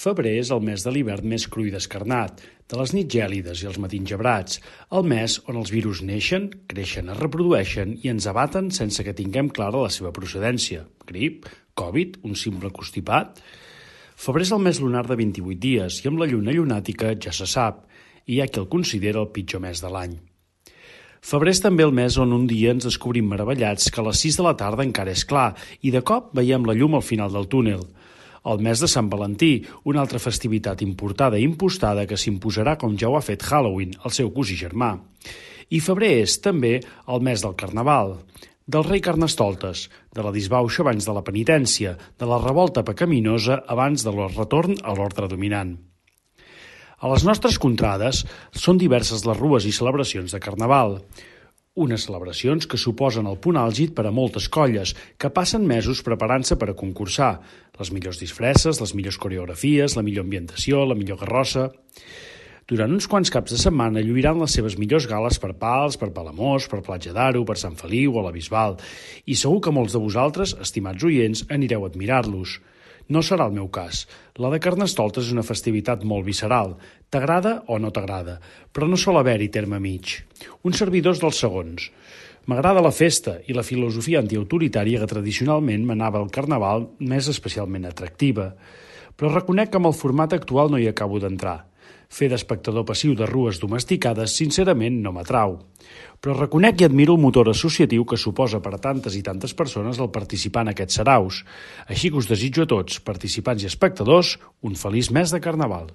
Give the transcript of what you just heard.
Febrer és el mes de l'hivern més cru i descarnat, de les nits gèlides i els matins gebrats, el mes on els virus neixen, creixen, es reprodueixen i ens abaten sense que tinguem clara la seva procedència. Grip, Covid, un simple constipat... Febrer és el mes lunar de 28 dies i amb la lluna llunàtica ja se sap, i hi ha qui el considera el pitjor mes de l'any. Febrer és també el mes on un dia ens descobrim meravellats que a les 6 de la tarda encara és clar i de cop veiem la llum al final del túnel. El mes de Sant Valentí, una altra festivitat importada i impostada que s'imposarà com ja ho ha fet Halloween, el seu cosí germà. I febrer és també el mes del Carnaval, del rei Carnestoltes, de la disbauxa abans de la penitència, de la revolta pecaminosa abans del retorn a l'ordre dominant. A les nostres contrades són diverses les rues i celebracions de Carnaval, unes celebracions que suposen el punt àlgid per a moltes colles, que passen mesos preparant-se per a concursar, les millors disfresses, les millors coreografies, la millor ambientació, la millor carrossa... Durant uns quants caps de setmana lluiran les seves millors gales per Pals, per Palamós, per Platja d'Aro, per Sant Feliu o la Bisbal, i segur que molts de vosaltres, estimats oients, anireu a admirar-los. No serà el meu cas. La de Carnestoltes és una festivitat molt visceral. T'agrada o no t'agrada, però no sol haver-hi terme mig. Un servidor és dels segons. M'agrada la festa i la filosofia antiautoritària que tradicionalment manava el Carnaval més especialment atractiva. Però reconec que amb el format actual no hi acabo d'entrar. Fer d'espectador passiu de rues domesticades, sincerament, no m'atrau. Però reconec i admiro el motor associatiu que suposa per a tantes i tantes persones el participar en aquests saraus. Així que us desitjo a tots, participants i espectadors, un feliç mes de Carnaval.